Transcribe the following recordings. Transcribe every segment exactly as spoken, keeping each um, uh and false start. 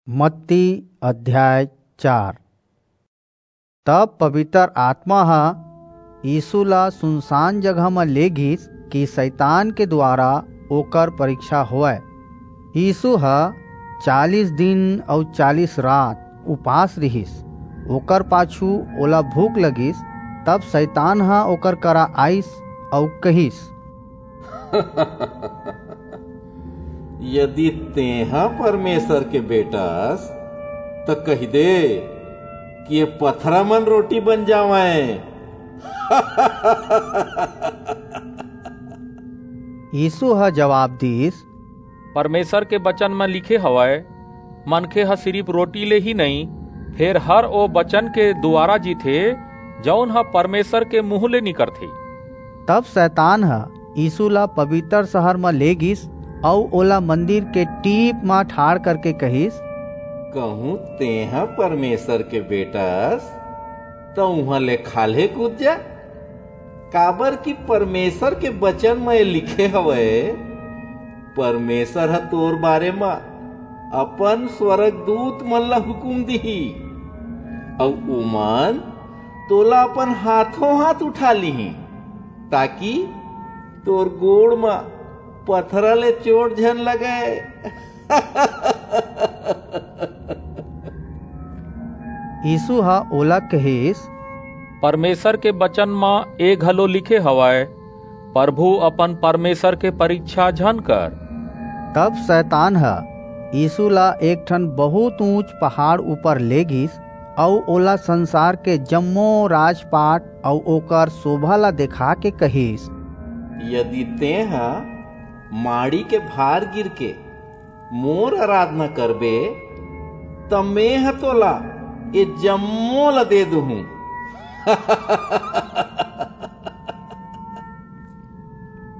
मत्ती अध्याय चार। तब पवित्र आत्मा ह यीशु ला सुनसान जगह म ले गिस कि शैतान के द्वारा ओकर परीक्षा होवय। यीशु ह चालीस दिन अउ चालीस रात उपास रिहिस। ओकर पाछू ओला भूख लगिस। तब शैतान ह ओकर करा आइस अउ कहिस, यदि तेहा परमेसर के बेटा अस, त कहि दे कि ये पथरा मन रोटी बन जावंय। यीसू ह जबाब दीस, परमेसर के बचन म लिखे हवय, मनखे ह सिरिप रोटी ले ही नइं, फेर हर ओ बचन के दुवारा जीथे, जऊन ह परमेसर के मुहूं ले निकरथे। तब सैतान ह यीसू ला पबितर सहर म ले गीस अऊ ओला मंदिर के टीप म ठाढ़ करके कहिस, कहूं तेंह परमेसर के बेटा अस, त उहां ले खाल्हे कूद जा, काबर कि परमेसर के बचन म ए लिखे हवय, परमेसर ह तोर बारे म अपन स्वरगदूत मन ला हुकूम दिही, अऊ उमन तोला अपन हाथों हाथ उठा लिहीं, ताकि तोर गोड़ म पथरा ले चोट झन लगय। यीसू ह ओला कहिस, परमेसर के बचन म ए घलो लिखे हवय, परभू अपन परमेसर के परीछा झन कर। तब सैतान ह यीसू ला एक ठन बहुंत ऊंच पहाड़ ऊपर ले गीस अऊ ओला संसार के जम्मो राजपाट अऊ ओकर सोभा ला देखाके कहिस, यदि तेंह माड़ी के भार गिरके मोर अराधना करबे, त मेंह तोला ए जम्मो ला दे दूहूं।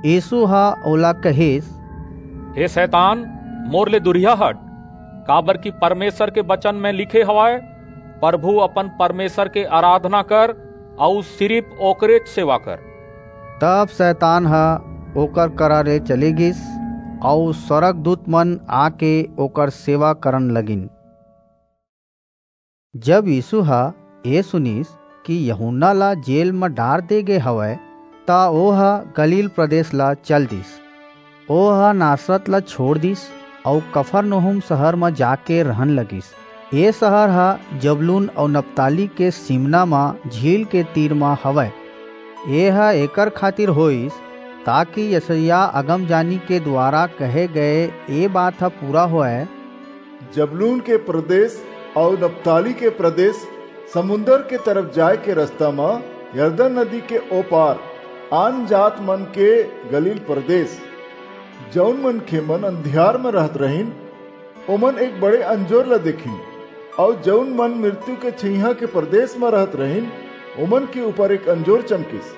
यीसू ह ओला कहिस, हे सैतान, मोर ले दूरिहा हट, काबरकि परमेसर के बचन म लिखे हवय, परभू अपन परमेसर के अराधना कर अऊ सिरिप ओकरेच सेवा कर। तब सैतान ह ओकर करा ले चले गीस, अऊ स्वरगदूत मन आके ओकर सेवा करन लगिन। जब यीसू ह ए सुनिस कि यूहन्ना ला जेल म डार दे गे हवय, त ओह गलील प्रदेस ला चल दीस। ओह नासरत ला छोंड़ दीस अऊ कफरनहूम सहर म जाके रहन लगिस। ए सहर ह जबूलून अऊ नप्ताली के सीमना म झील के तीर म हवय। एह एकर खातिर होईस, ताकि यसायाह अगमजानी के दुवारा कहे गय ए बात ह पूरा होवय, जबूलून के प्रदेस अऊ नप्ताली के प्रदेस, समुंदर के तरफ जाय के रसता म यरदन नदी के ओ पार, आनजात मन के गलील प्रदेस। जऊन मनखेमन अंधियार म रहत रहिन, ओमन एक बड़े अंजोर ला देखिन, अऊ जऊन मन मिरतू के छइहां के प्रदेस म रहत रहिन, ओमन के ऊपर एक अंजोर चमकिस।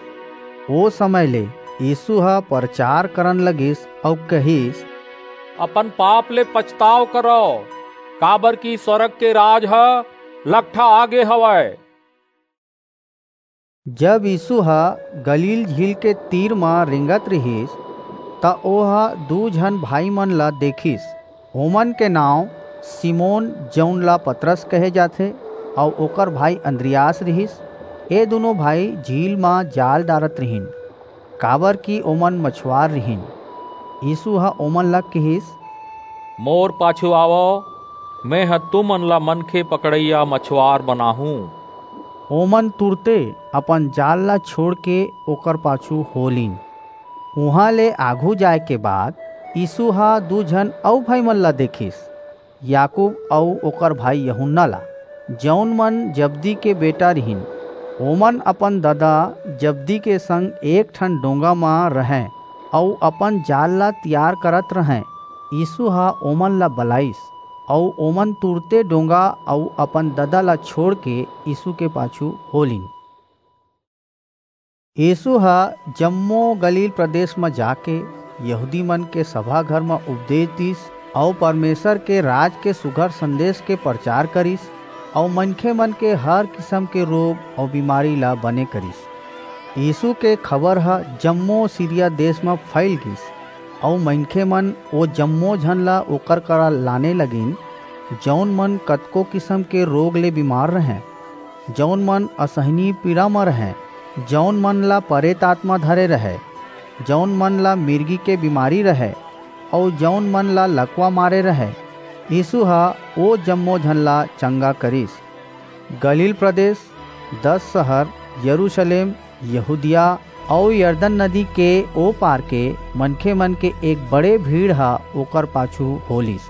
ओ समय ले यीसू ह परचार करन लगिस अऊ कहिस, अपन पाप ले पछताव करव, काबरकि स्वरग के राज ह लकठा आगे हवय। जब यीसू ह गलील झील के तीर म रेंगत रिहिस, त ओह दू झन भाईमन ला देखिस। ओमन के नांव सिमोन, जऊन ला पतरस कहे जाथे, अऊ ओकर भाई अंद्रियास रिहिस। ए दूनों भाई झील म जाल डारत रिहिन, काबरकि ओमन मछुआर रिहिन। यीसू ह ओमन ला किहिस, मोर पाछू आवव, मेंह तुमन ला मनखे पकड़इया मछुआर बनाहूं। ओमन तुरते अपन जाल ला छोंड़के ओकर पाछू हो लीन। उहां ले आघू जाय के बाद यीसू ह दू झन अऊ भाईमन ला देखिस, याकूब अऊ ओकर भाई यूहन्ना ला, जऊन मन जबदी के बेटा रिहिन। ओमन अपन ददा जबदी के संग एक ठन डोंगा म रहंय अऊ अपन जाल ला तियार करत रहंय। यीसू ह ओमन ला बलाईस, अऊ ओमन तुरते डोंगा अऊ अपन ददा ला छोंड़के यीसू के पाछू हो लीन। यीसू ह जम्मो गलील प्रदेस म जाके यहूदीमन के सभा घर म उपदेस दीस अऊ परमेसर के राज के सुघर संदेस के परचार करिस अऊ मनखेमन के हर किसम के रोग अऊ बीमारी ला बने करिस। यीसू के खबर ह जम्मो सीरिया देस म फइल गीस अऊ मनखेमन ओ जम्मो झन ला ओकर करा लाने लगिन, जऊन मन कतको किसम के रोग ले बीमार रहंय, जऊन मन असहनीय पीड़ा म रहंय, जऊन मन ला परेत आतमा धरे रहय, जऊन मन ला मिरगी के बीमारी रहय, अऊ जऊन मन ला लकवा मारे रहय, यीसू ह ओ जम्मो झन ला चंगा करिस। गलील प्रदेस, दस सहर, यरूसलेम, यहूदिया अऊ यरदन नदी के ओ पार के मनखेमन के एक बड़े भीड़ ह ओकर पाछू हो लीस।